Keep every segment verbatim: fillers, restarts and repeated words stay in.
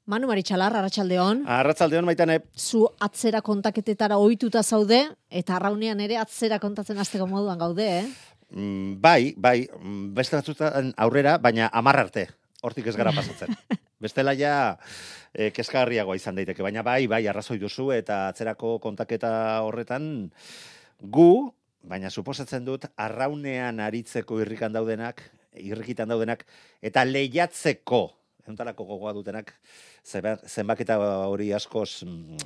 Manu Maritxalar, arratsaldeon. Arratsaldeon Maitane. Zu atzera kontaketetara ohituta zaude, eta arraunean ere atzera kontatzen hasteko moduan gaude, eh? Mm, bai, bai, beste batzutan aurrera, baina hamar arte. Hortik ez gara pasatzen. Bestela ja eh, kezkagarriagoa izan daiteke, baina bai, bai, arrazoi duzu eta atzerako kontaketa horretan gu, baina suposatzen dut, arraunean aritzeko irrikan daudenak, irrikitan daudenak, eta lehiatzeko, entarako gogoa dutenak, zenbaketa hori askoz mm,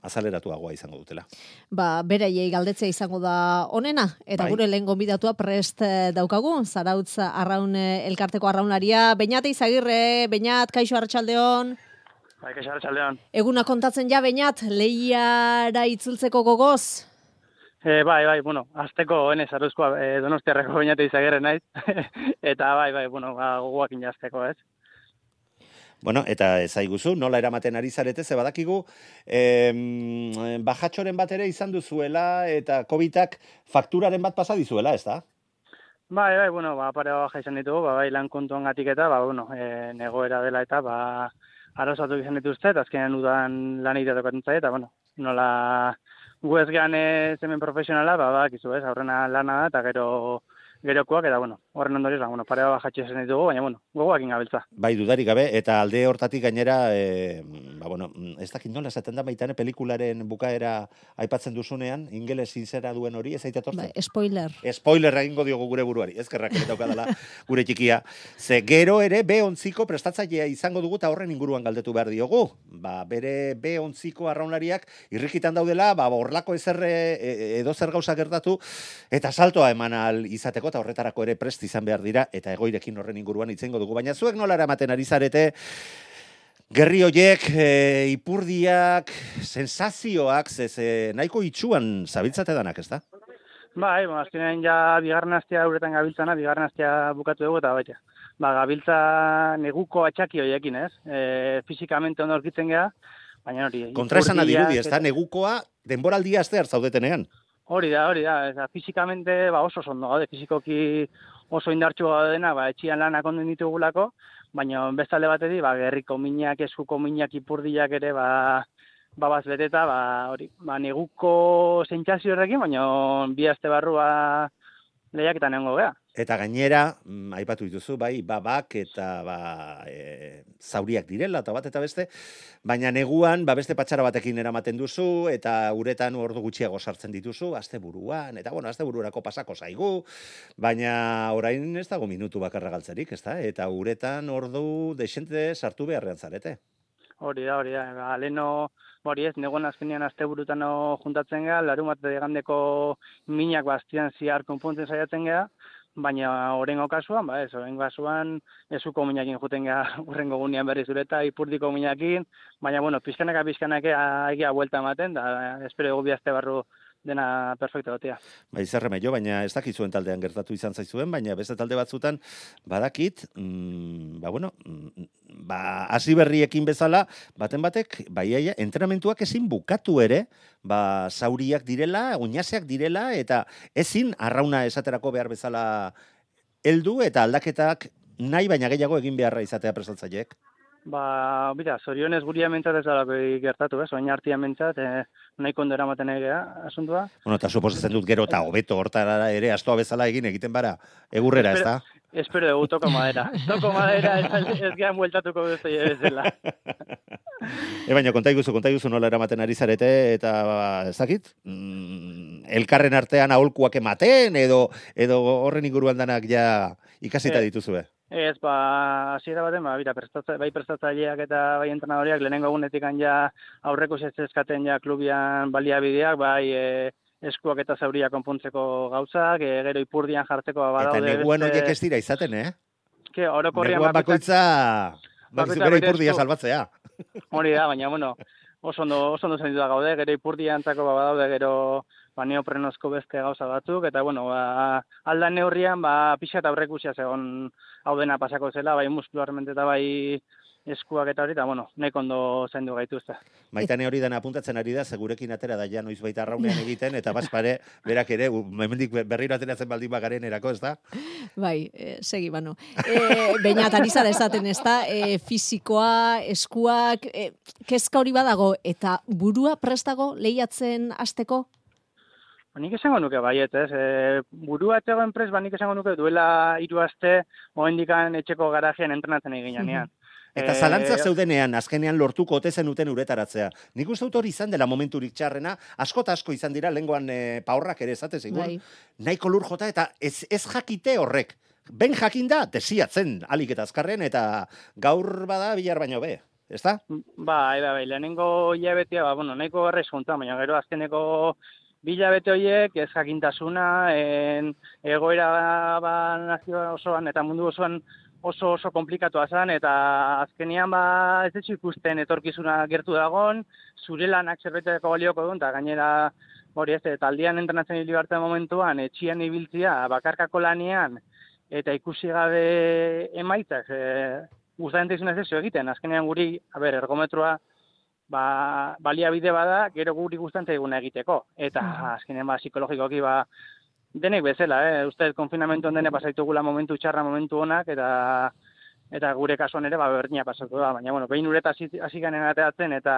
azaleratuagoa izango dutela. Ba, beraiei galdetzea izango da onena, eta Bai. gure lehen gonbidatua prest daukagu, Zarautz arraun elkarteko arraunlaria. Beñat Izagirre, Beñat, kaixo arratsaldeon. Bai, kaixo arratsaldeon. Eguna kontatzen ja, Beñat, lehiara itzultzeko gogoz? E, bai, bai, bueno, azteko ene Zarauzkoa e, Donostiarreko Beñat Izagirre naiz, eta bai, bai, bueno, ba, gogoakin jazteko, ez? Bueno, eta ezaiguzu, nola eramaten ari zarete, ze badakigu, em, bajatxoren bat ere izan duzuela, eta covidak fakturaren bat pasa dizuela, ez da? Bai, bai, bueno, ba, pare baja izan ditugu, ba, bai, lan kontuan gatik eta, ba, bueno, e, negoera dela eta, ba, arrozatu izan dituzte, eta azkenean udan lan egitea tokatzen zaie, eta, bueno, nola gu ez gehan ez hemen profesionala, ba, ba, kizu, ez, aurrena lana da, eta gero gerokoak, eta, bueno, horren ondorioz, ba, bueno, pare bajatxe izan ditugu, baina, bueno, gogoakin gabiltza. Bai, dudarik gabe, eta alde hortatik gainera, e, ba, bueno, ez dakit nola esaten da Maitane pelikularen bukaera aipatzen duzunean, ingeles izera duen hori, ez aitatortzen? Bai, spoiler. Spoiler egingo diogu gure buruari, ezkerrak ere daukadala gure txikia. Ze gero ere be ontziko prestatzailea izango dugu eta horren inguruan galdetu behar diogu. Ba, bere be ontziko arraunlariak irrikitan daudela, ba, horlako ezerre edo zer gauza gertatu, eta saltoa eman al izateko, eta horretarako ere prest izan behar dira, eta egoirekin horren inguruan itzengo dugu. Baina zuek nola eramaten ari zarete, gerri hoiek, e, ipurdiak, sensazioak, ze, ze nahiko itxuan zabiltzate danak, ez da? Bai, bueno, azkenean ja bigarren astea uretan gabiltzana, bigarren astea bukatu dugu, eta baita. Ba, gabiltza neguko atxaki horiekin, ez? E, fizikamente ondo aurkitzen geha, baina hori... Kontraesana dirudi, ez da? Negukoa denboraldia astear zaudetenean. Hori da, hori da, ez da, fizikamente ba, oso ondo gaude, fizikoki oso indartsu gaudena, ba, etxian lanak onden ditugulako, baina bestalde bateri, ba, gerriko minak, eskuko minak, ipurdiak ere, ba, ba baz beteta, ba, hori, ba, neguko sentsazio horrekin, baina bi aste barrua lehiak eta neongo geha. Eta gainera, mm, aipatu dituzu, bai, babak eta ba, e, zauriak direla, eta bat eta beste, baina neguan, ba, beste patxara batekin eramaten duzu, eta uretan ordu gutxiago sartzen dituzu, asteburuan, eta bueno, astebururako pasako zaigu, baina orain ez dago minutu bakarra galtzerik, ez da? Eta uretan ordu desente sartu beharrean zarete. Hori da, hori da, ba, leheno, hori ez, negoen azkenean asteburutan juntatzen geha, larunbat egandeko minak bastian ziar konpontzen saiatzen geha, baina horrengo kasuan, ba ez, horrengo kasuan ezuko minakin juten geha urrengo gunean berriz ureta, ipurdiko minakin, baina, bueno, pizkanaka pizkanaka egia buelta ematen, da espero dugu bi aste barru dena perfecto gotea. Bai, zerreme jo, baina ez dakit zuen taldean gertatu izan zaizuen, baina beste talde batzutan badakit, mm, ba bueno, mm, ba hasi berriekin bezala, baten batek, bai, aia, entrenamentuak ezin bukatu ere, ba zauriak direla, oinaseak direla, eta ezin arrauna esaterako behar bezala heldu eta aldaketak nahi baina gehiago egin beharra izatea presaltzaileek. Ba, bida, zorionez guria mentzat ez dalako gertatu, ez? Oin artian mentzat, eh, nahiko ondo eramaten egea, asuntua. Bueno, eta suposatzen dut gero eta hobeto hortara ere astoa bezala egin egiten bara, egurrera, ez da? Espero dugu, toko madera. Toko madera, ez, ez gehan bueltatuko beste bezala. E, baina, konta iguzu, konta iguzu nola eramaten ari zarete, eta ba, ez dakit, mm, elkarren artean aholkuak ematen, edo, edo horren inguruan danak ja ikasita eh. dituzue. Ez, ba, hasiera baten, ba, bira, prestatza, bai prestatzaileak eta bai entrenadoriak lehenengo egunetik ja aurreko zeskaten ja klubian baliabideak, bai e, eskuak eta zauriak konpontzeko gauzak, e, gero ipurdian jartzeko badaude. Eta neguan horiek ez dira izaten, eh? Ke, orokorrian neguan bakoitza, bakoitza gero ipurdia salbatzea. Hori da, baina, bueno, oso ondo, oso ondo zenditu da gaude, gero ipurdian zako ba, badaude, gero ba, neoprenozko beste gauza batzuk, eta, bueno, ba, aldan neurrian, ba, pixa eta aurrekusia zegoen hau dena pasako zela, bai muskularmente eta bai eskuak eta hori, eta, bueno, nahiko ondo zaindu gaituzte. Maitane hori dena apuntatzen ari da, segurekin atera da ja noiz baita arraunean egiten, eta bazpare, berak ere, hemendik berriro ateratzen baldin bagaren erako, ez da? Bai, e, segi, bano. E, Beñat, ari zara esaten, ez da, e, fizikoa, eskuak, e, kezka hori badago, eta burua prestago lehiatzen hasteko? Ba, nik esango nuke baiet, ez? E, burua etzegoen prest, ba, nik esango nuke duela hiru aste, oendikan etxeko garajean entrenatzen egin janean. Eta zalantzak zeudenean, azkenean lortuko ote zenuten uretaratzea. Nik uste dut hori izan dela momenturik txarrena, asko eta asko izan dira, lenguan e, paurrak ere esate zigur, Bai. nahiko lur jota, eta ez, ez jakite horrek. Ben jakinda, desiatzen, alik eta azkarren, eta gaur bada bilar baino be. Ez da? Bai, bai, bai, lehenengo hilabetea, ba, bueno, nahiko garraiz juntan, baina gero azkeneko bi hilabete horiek, ez jakintasuna, en, egoera ba, nazio osoan eta mundu osoan oso oso komplikatua zen, eta azkenean ba, ez dut ikusten etorkizuna gertu dagon, zure lanak zerbeteko balioko duen, eta gainera, hori ez, taldean entrenatzen hili bartzen momentuan, etxian ibiltzia, bakarkako lanean, eta ikusi gabe emaitzak, e, gustatzen izan ez egiten, azkenean guri, a ber, ergometroa, ba, baliabide bada, gero guri gustatzen eguna egiteko, eta azkenean ba, psikologikoki ba, denek bezala, eh? Uste, konfinamentuan dene pasaitugula momentu txarra, momentu onak, eta eta gure kasuan ere, ba, berdina pasatu da. Baina, bueno, behin ureta hasi ganen ateatzen, eta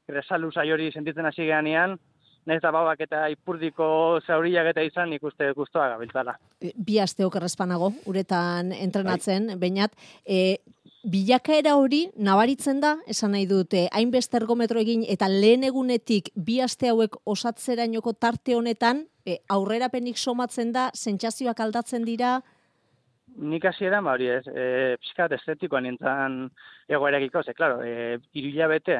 resalu hori sentitzen hasi ganean, nahiz eta babak eta ipurdiko zauriak eta izan, nik uste guztua gabiltzala. Bi aste okerrezpanago, uretan entrenatzen, Beñat, e, bilakaera hori nabaritzen da, esan nahi dute, hainbeste ergometro egin, eta lehen egunetik bi aste hauek osatzerainoko tarte honetan, e, aurrerapenik somatzen da, sentsazioak aldatzen dira? Nik hasieran ba hori ez, e, pixkat estetikoan nintzen egoerakiko, ze, klaro, e, hiru hilabete,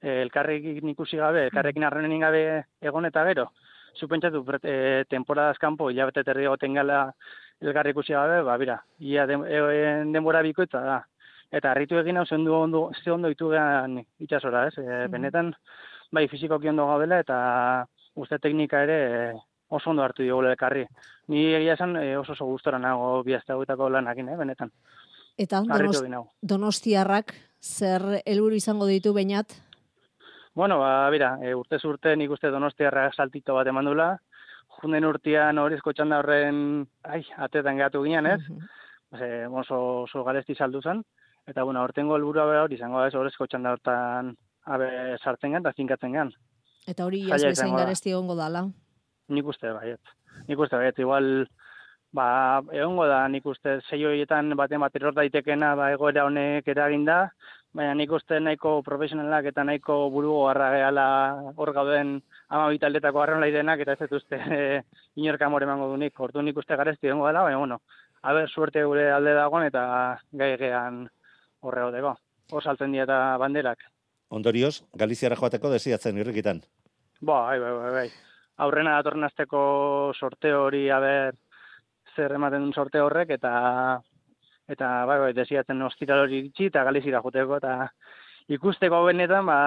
e, elkarrekin ikusi gabe, elkarrekin harrenen gabe egon eta gero, zupentsatu, e, temporadaz kanpo, hilabete terri egoten gala elkarri ikusi gabe, ba, bira, ia den, e, denbora bikoitza da. Eta harritu egin hau zendu ondo, ze ondo itugean itxasora, ez? E, benetan, bai, fizikoki ondo gaudela, eta uste teknika ere e, oso ondo hartu digula elkarri. Ni egia esan e, oso oso gustora nago bi aste hauetako lanakin, eh, benetan. Eta donost, donostiarrak zer helburu izango ditu, Beñat? Bueno, ba, bira, e, urtez urte nik uste donostiarrak saltito bat emandula. Junden urtean horrezko txanda horren, ai, atetan gehatu ginen, ez? Uh -huh. e, oso, oso garesti saldu zen. Eta, bueno, hortengo helburua bera hori izango da, ez horrezko txanda hortan abe sartzen gan, eta zinkatzen gan. Eta hori ez bezain garesti egongo dala? Nik uste baiet. Nik uste baiet, igual, ba, egongo da, nik uste sei horietan baten bat eror daitekena, ba, egoera honek eraginda, baina nik uste nahiko profesionalak eta nahiko burugo harra gehala hor gauden hamabi taldetako arraunlari denak, eta ez dut uste e, inorka amore emango dunik. Ordu nik uste garesti egongo dela, baina, bueno, haber suerte gure alde dagoen eta gai gean horre hodeko. Hor saltzen dira eta banderak. Ondorioz, Galiziara joateko desiatzen irrikitan. Bai, bai, bai, bai. Aurrena datorren asteko sorteo hori, haber, zer ematen duen sorteo horrek, eta eta bai, bai, desiatzen ostiral hori itxi, eta Galizira joteko, eta ikusteko benetan, ba,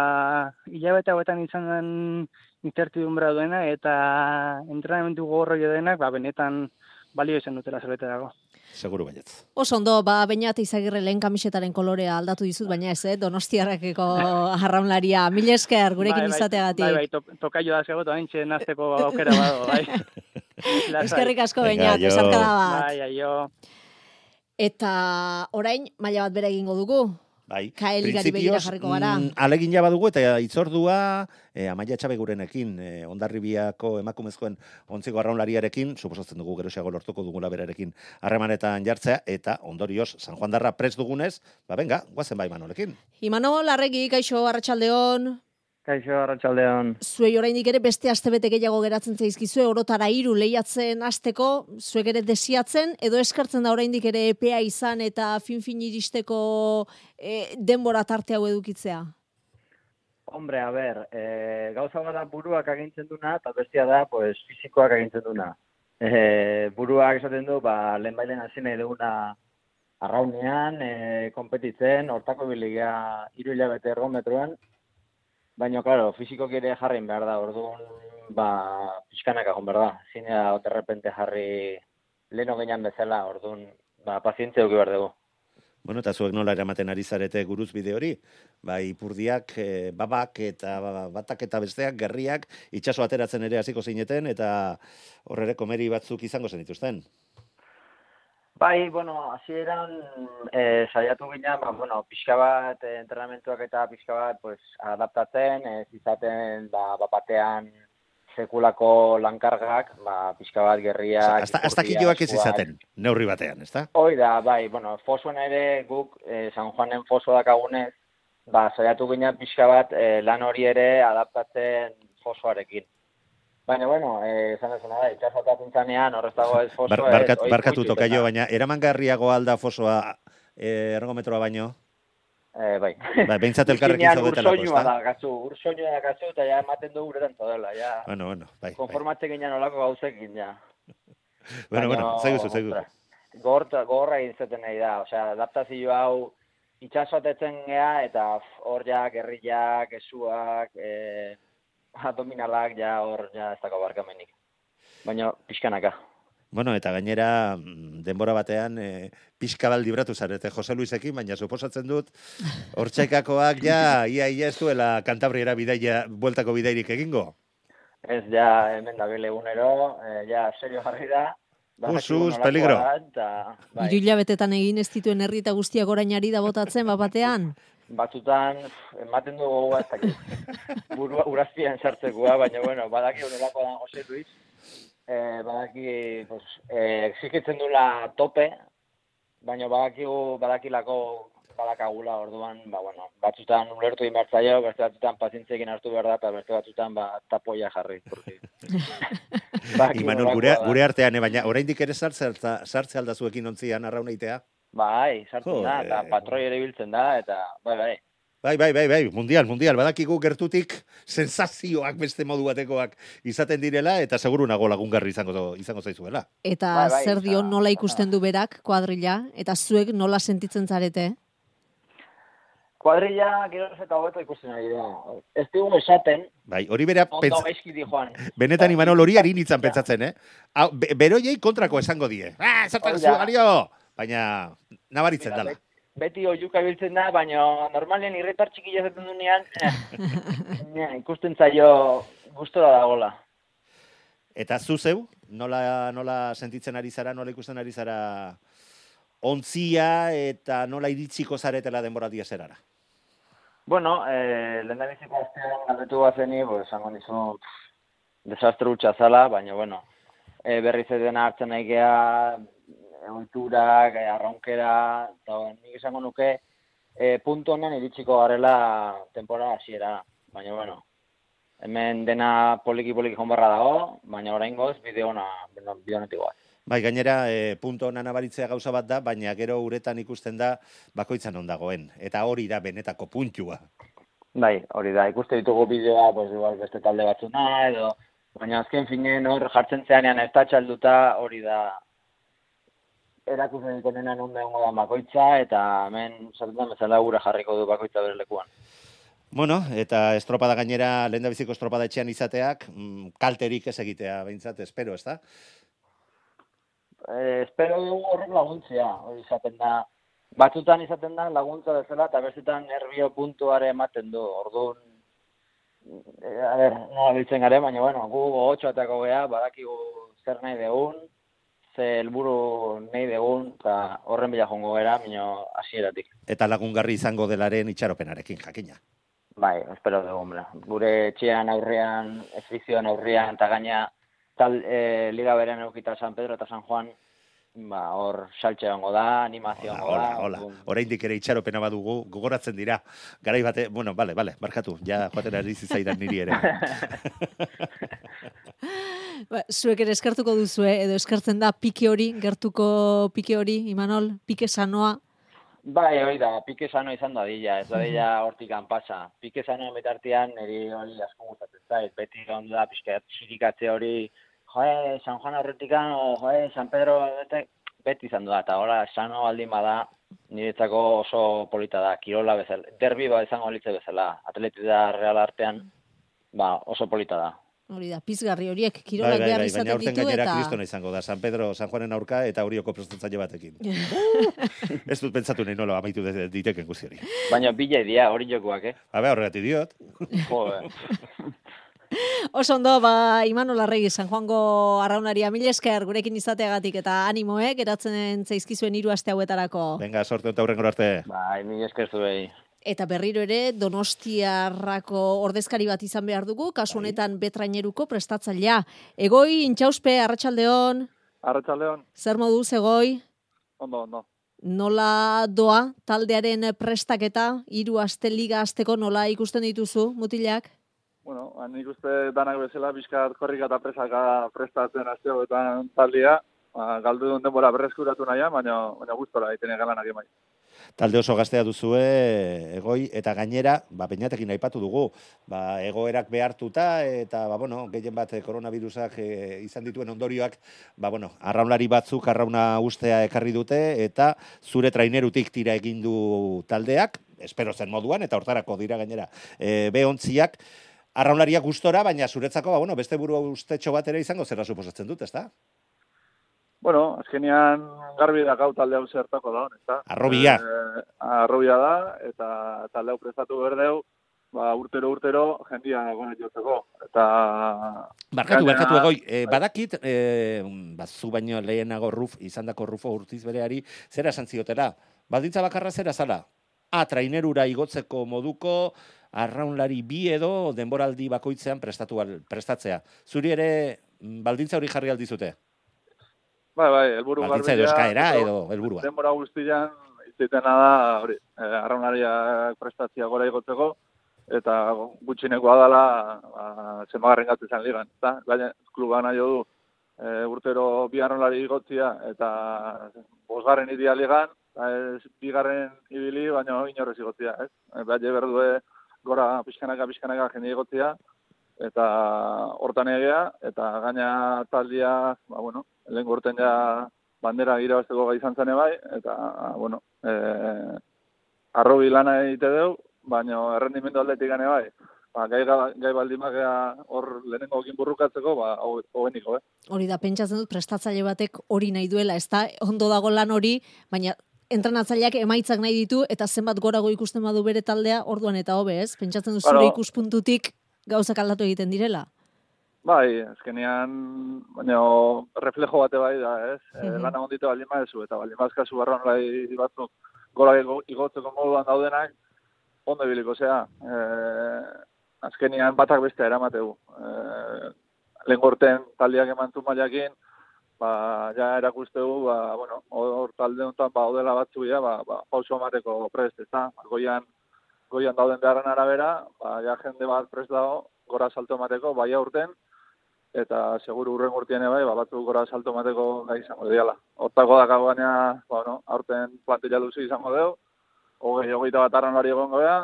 hilabete hauetan izan den incertidumbre duena, eta entrenamentu gogorroi denak, ba, benetan balio izan dutela zerbeterako. Seguru baietz. Oso ondo, ba, Beñat Izagirre lehen kamisetaren kolorea aldatu dizut, baina ez, eh? Donostiarrakeko arraunlaria. Mil esker, gurekin bai, bai, izateagatik. Bai, bai, to, tokaio da zegoetu, haintxe nazteko aukera bado, bai. Eskerrik asko, Beñat, esarkada bat. Bai, aio. Eta orain, maila bat bera egingo dugu. Bai, Kaeligari begira jarriko gara. Mm, alegin ja badugu eta itzordua e, Amaia Txabegurenekin, e, Hondarribiako emakumezkoen ontziko arraunlariarekin, suposatzen dugu geroxiago lortuko dugula berarekin harremanetan jartzea, eta ondorioz San Juan darra prest dugunez, ba benga, guazen bai Manolekin. Imanol, Larregi, kaixo, arratsaldeon. Kaixo, arratsaldeon. Zuei oraindik ere beste astebete gehiago geratzen zaizkizue, orotara hiru lehiatzen hasteko, zuek ere desiatzen, edo eskartzen da oraindik ere epea izan eta fin-fin iristeko e, denbora tarte hau edukitzea? Hombre, a ber, e, gauza bada buruak agintzen duna, eta bestia da, pues, fizikoak agintzen duna. E, buruak esaten du, ba, lehen bailen hasi nahi duguna arraunean, e, konpetitzen, hortako biligea hiru hilabete ergometroan, baina, klaro, fizikoak ere jarrin behar da, orduan, ba, pixkanak agon behar da. Zinea, oterrepente jarri leheno gainan bezala, orduan, ba, pazientzia duki behar dugu. Bueno, eta zuek nola eramaten ari zarete guruz bide hori? Bai, ipurdiak, e, babak eta batak eta besteak, gerriak, itsaso ateratzen ere hasiko zineten, eta horrere komeri batzuk izango zen dituzten. Bai, bueno, hasieran eh, saiatu ginen, ba, bueno, pixka bat eh, entrenamentuak eta pixka bat pues, adaptatzen, ez izaten ba, batean sekulako lankargak, ba, pixka bat gerriak... Hasta, hasta kiloak ez izaten, neurri batean, ez da? Hoi da, bai, bueno, fosoen ere guk eh, San Juanen foso dakagunez, ba, saiatu ginen pixka bat eh, lan hori ere adaptatzen fosoarekin. Baina, bueno, eh, esan dezuna da, itxasotatzen zanean, horrez dago ez fosoa... Bar, barkat, ez, barkatu tokaio, baina eramangarriago alda fosoa eh, ergometroa baino? Eh, bai. Ba, behintzat elkarrekin zaudetelako, ez da? Ursoinua da, gazu, ursoinua da, gazu, eta ja ematen du uretan zaudela, ja. Bueno, bueno, bai. Konformatzen ginen olako gauzekin, ja. bueno, bueno, zaiguzu, zaiguzu. Gogorra egin zeten nahi da, osea, adaptazio hau itxasotetzen gea, eta hor ja, gerriak, esuak, eh, abdominalak, ja, hor, ja, ez dago barkamenik. Baina, pixkanaka. Bueno, eta gainera, denbora batean, e, pixka bat libratu zarete Jose Luisekin, baina suposatzen dut, hortxaikakoak ja, ia, ia ez duela Kantabriera bidaia, bueltako bidairik egingo? Ez, ja, hemen da bile egunero, eh, ja, serio jarri da. Usus, peligro. Bai. Hiru hilabetetan egin ez dituen herri eta guztiak orainari da botatzen, bat batean? Batzutan, ematen dugu gogoa ez dakit. Burua urazpian sartzekoa, baina, bueno, badaki honelako da Jose Luis. Eh, badaki, pues, eh, exikitzen dula tope, baina badakigu, badakilako badakagula orduan, ba, bueno, batzutan ulertu inbertzaio, beste batzutan pazientzekin hartu behar da, eta beste batzutan, ba, tapoia jarri. Imanol, gure, gure artean, eh, baina oraindik ere sartze, sartze aldazuekin ontzian arraunaitea? Bai, sartzen da, eta patroi ere biltzen da, eta, bai, bai. Bai, bai, bai, bai, mundial, mundial, badakigu gertutik sensazioak beste modu batekoak izaten direla, eta seguru nago lagungarri izango, izango zaizuela. Eta bai, bai, zer dio nola ikusten du berak kuadrilla, eta zuek nola sentitzen zarete? Kuadrilla, gero eta hobeto ikusten ari da. Ez digu esaten, bai, hori bera ondo gaizki di joan. Benetan Imanol hori harin itzan pentsatzen, eh? Hau, be, beroiei kontrako esango die. Ah, zertan zu, Gario! Baina, nabaritzen dela. Beti oiuka biltzen da, baina normalen irritar txiki jazaten dunean, eh, ikusten zaio gustora dagoela. Eta zu zeu, nola, nola sentitzen ari zara, nola ikusten ari zara ontzia eta nola iritsiko zaretela denboraldia zerara? Bueno, eh, lehen da biziko astean galdetu bazeni, pues, esango nizu desastre hutsa zala, baina, bueno, eh, berriz edena hartzen nahi geha, oiturak, arraunkera, eta nik esango nuke, e, puntu honen iritsiko garela temporada hasiera. Baina, bueno, hemen dena poliki-poliki jonbarra dago, baina oraingoz bideo ona, bideo honetik goaz. Bai, gainera, e, puntu honan abaritzea gauza bat da, baina gero uretan ikusten da bakoitzan ondagoen. Eta hori da benetako puntua. Bai, hori da, ikuste ditugu bideoa, pues, igual beste talde batzuna, edo, baina azken finen hor jartzen zeanean ez da txalduta, hori da, erakusten dikonenan ondo egongo da bakoitza, eta hemen sartzen bezala gure jarriko du bakoitza bere lekuan. Bueno, eta estropada gainera, lehen da biziko estropada etxean izateak, mm, kalterik ez egitea behintzat, espero, ez da? Eh, espero dugu horrek laguntzea, hori izaten da. Batzutan izaten da laguntza bezala, eta bestetan nervio puntuare ematen du, orduan, e, a ber, nola biltzen gare, baina, bueno, gu gogotxoatako geha, badakigu zer nahi degun, ze helburu nahi degun, eta horren bila jongo gara, mino hasieratik. Eta lagungarri izango delaren itxaropenarekin, jakina. Bai, espero dugu, hombre. Gure etxean aurrean, efizioan aurrean, eta gaina tal, e, liga berean eukita San Pedro eta San Juan, ba, hor saltxe hongo da, animazio hongo da. Hola, hola, oraindik ere itxaropena badugu, gogoratzen dira. Garai bate, bueno, bale, bale, barkatu, ja joaten ari zizaidan niri ere. Ba, zuek ere eskartuko duzue, edo eskartzen da pike hori, gertuko pike hori, Imanol, pike sanoa. Bai, hori da, pike sanoa izan da dilla, ez da dilla hortikan pasa. Pike sanoa betartian, eri hori asko gustatzen zait, beti ondo da, pixka txirikatze hori, joe, San Juan horretikan, o joe, San Pedro, bete, beti izan da, eta hola, sano baldin bada, niretzako oso polita da, kirola bezala, derbi ba izango litze bezala, atletita real artean, ba, oso polita da. Hori da, pizgarri horiek, kirolak bai, bai, behar bai, izaten baina aurten ditu gainera eta... kristona izango da, San Pedro, San Juanen aurka eta Orioko prestatzaile batekin. Ez dut pentsatu nahi nola amaitu de- diteken guzti hori. Baina bila idia, hori jokuak, eh? Habe, horregatik diot. Jode. Oso ondo, ba, Imanol Arregi, San Juango arraunaria, mil esker gurekin izateagatik eta animoek, geratzen zaizkizuen hiru aste hauetarako. Venga, sorte eta hurrengora arte. Bai, mil esker zuei. Eta berriro ere, Donostiarrako ordezkari bat izan behar dugu, kasu honetan betraineruko prestatzailea. Egoi, intxauspe, arratsaldeon, Arratsaldeon, zer moduz, Egoi? ondo, ondo. Nola doa taldearen prestaketa, hiru aste liga asteko nola ikusten dituzu, mutilak? Bueno, ba, nik uste danak bezala pixkat korrika eta presaka prestatzen aste hauetan taldea, ba, galdu duen denbora berreskuratu nahian, baina, baina gustora egiten egalanak emai. Talde oso gaztea duzue, Egoi, eta gainera, ba, peinatekin aipatu dugu, ba, egoerak behartuta, eta, ba, bueno, gehien bat koronavirusak e, izan dituen ondorioak, ba, bueno, arraunlari batzuk arrauna ustea ekarri dute, eta zure trainerutik tira egin du taldeak, espero zen moduan, eta hortarako dira gainera, e, behontziak, arraunlariak gustora, baina zuretzako, ba, bueno, beste buru ustetxo bat ere izango zera suposatzen dut, ezta? Bueno, azkenean garbi da gau talde hau zertako da, ezta? Arrobia. E, arrobia da, eta talde hau prestatu berdeu, ba, urtero urtero jendia gona jotzeko. Eta... Barkatu, gainera- barkatu, Egoi, e, badakit, e, ba, zu baino lehenago ruf, izandako Rufo Urtiz bereari, zera esan ziotera? Baldintza bakarra zera zala? A, trainerura igotzeko moduko, arraunlari bi edo denboraldi bakoitzean prestatu al, prestatzea. Zuri ere baldintza hori jarri aldizute? Bai, bai, helburu Baldintza edo eskaera edo helburua. Denbora guztian, izitena da, hori, eh, arraunariak prestatzia gora igotzeko, eta gutxinekoa dela, ba, zenbagarren gatu izan ligan. Eta, gaina, kluba nahi du, e, urtero bi arraunlari igotzia, eta bosgarren idia ligan, eta ez bigarren ibili, baina inorrez igotzia, ez? E, Baina berdue gora pixkanaka, pixkanaka jende igotzia, eta hortan egea, eta gaina taldia, ba, bueno, lehen gorten ja bandera irabazteko gai izan zen bai, eta, bueno, e, arrobi lana egite deu, baina errendimendu aldetik gane bai. Ba, gai, gai baldin bagea hor lehenengo ekin burrukatzeko, ba, hobeniko, eh? Hori da, pentsatzen dut prestatzaile batek hori nahi duela, ez da, ondo dago lan hori, baina entrenatzaileak emaitzak nahi ditu, eta zenbat gorago ikusten badu bere taldea, orduan eta hobe, ez? Pentsatzen dut zure Bueno. ikuspuntutik gauzak aldatu egiten direla. Bai, azkenean, baina reflejo bate bai da, ez? E, Mhm. lana ondite baldin badezu, eta baldin bazkazu barronlai batzuk gora igo- igotzeko moduan daudenak, ondo ibiliko zea. E, azkenean batak bestea eramateu. E, lehen gorten taldeak emantu mailakin, ba, ja erakustegu, ba, bueno, hor talde honetan, ba, odela batzu ja, ba, ba, pauso emateko prest, ez da? Goian, goian dauden beharren arabera, ba, ja jende bat prest dago, gora salto emateko, bai aurten, eta seguru urren urtien bai, ba, batzuk gora salto emateko gai izango diala. Hortako dakago baina, bueno, aurten plantilla luzi izango deu, hogei, hogeita bat arraunlari egongo gea,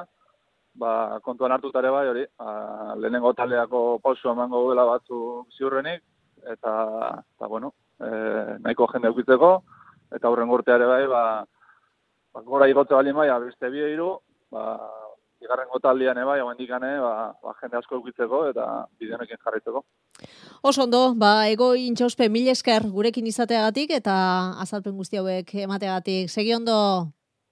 ba, kontuan hartutare bai, hori, ba, lehenengo taldeako pausu emango duela batzu ziurrenik, eta, eta bueno, e, nahiko jende eukitzeko, eta aurren urteare bai, ba, ba, gora igotze bali bai, beste bi hiru, ba, bigarrengo taldean bai, hauendikane, ba, ba, jende asko eukitzeko, eta bideonekin jarraitzeko. Oso ondo, ba, Egoi intxauspe, mil esker gurekin izateagatik, eta azalpen guzti hauek emateagatik. Segi ondo,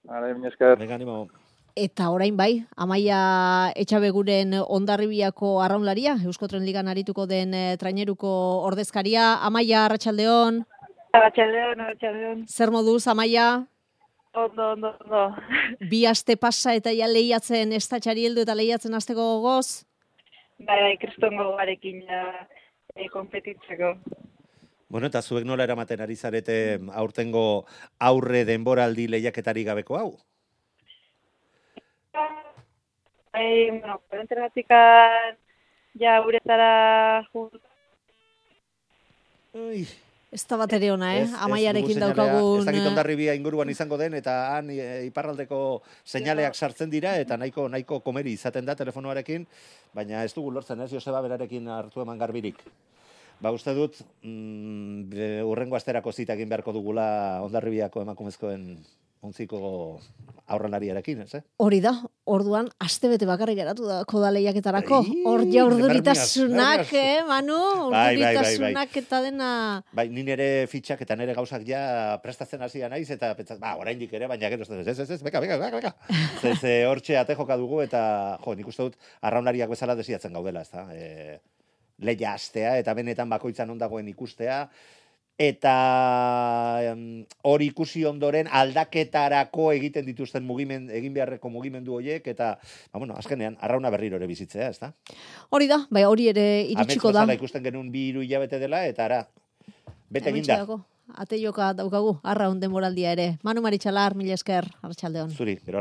Ara, min esker. Venga, animo. eta orain bai, Amaia Etxabeguren Hondarribiako arraunlaria, Eusko Tren Ligan arituko den eh, traineruko ordezkaria. Amaia, arratsaldeon. Arratxaldeon, arratxaldeon. Zer moduz, Amaia? Ondo, ondo, ondo. Bi aste pasa eta ja lehiatzen estatxari heldu eta lehiatzen hasteko gogoz? Bai, bai, kristongo garekin ja e, konpetitzeko. Bueno, eta zuek nola eramaten ari zarete aurtengo aurre denboraldi lehiaketari gabeko hau? Bai, bueno, korenteratikan ja uretara jut. Ui, Ez da bat ere ona, eh? ez- ez Amaiarekin dugu seinalea. daukagun... Ez dakit eh, Hondarribia inguruan izango den, eta han e, iparraldeko seinaleak sartzen dira, eta nahiko nahiko komeri izaten da telefonoarekin, baina ez dugu lortzen, ez, Joseba berarekin hartu eman garbirik. Ba, uste dut, mm, be- urrengo asterako zita egin beharko dugula Hondarribiako emakumezkoen onziko aurrenariarekin, ez, eh? Hori da, orduan, astebete bakarrik geratu da koda lehiaketarako. Bai, Hor ja bermiaz, urduritasunak, bermiaz. eh, Manu? Bai, bai, bai, bai. Urduritasunak eta dena... Bai, ni nere fitxak eta nere gauzak ja prestatzen hasia naiz, eta pentsat, ba, oraindik ere, baina gero, ez, ez, ez, ez, beka, beka, beka, beka. Ze, ze hortxe ate joka dugu, eta, jo, nik uste dut, arraunlariak bezala desiatzen gaudela, ez da? E, lehia astea, eta benetan bakoitzan ondagoen ikustea, eta hori ikusi ondoren aldaketarako egiten dituzten mugimen, egin beharreko mugimendu horiek, eta, ba, bueno, azkenean, arrauna berriro ere bizitzea, ez da? Hori da, bai, hori ere iritsiko da. Amets ikusten genuen bi hiru hilabete dela, eta ara, bete eginda. Ate joka daukagu, arraun denboraldia ere. Manu Maritxalar, mila esker, arratsaldeon. Zuri, gero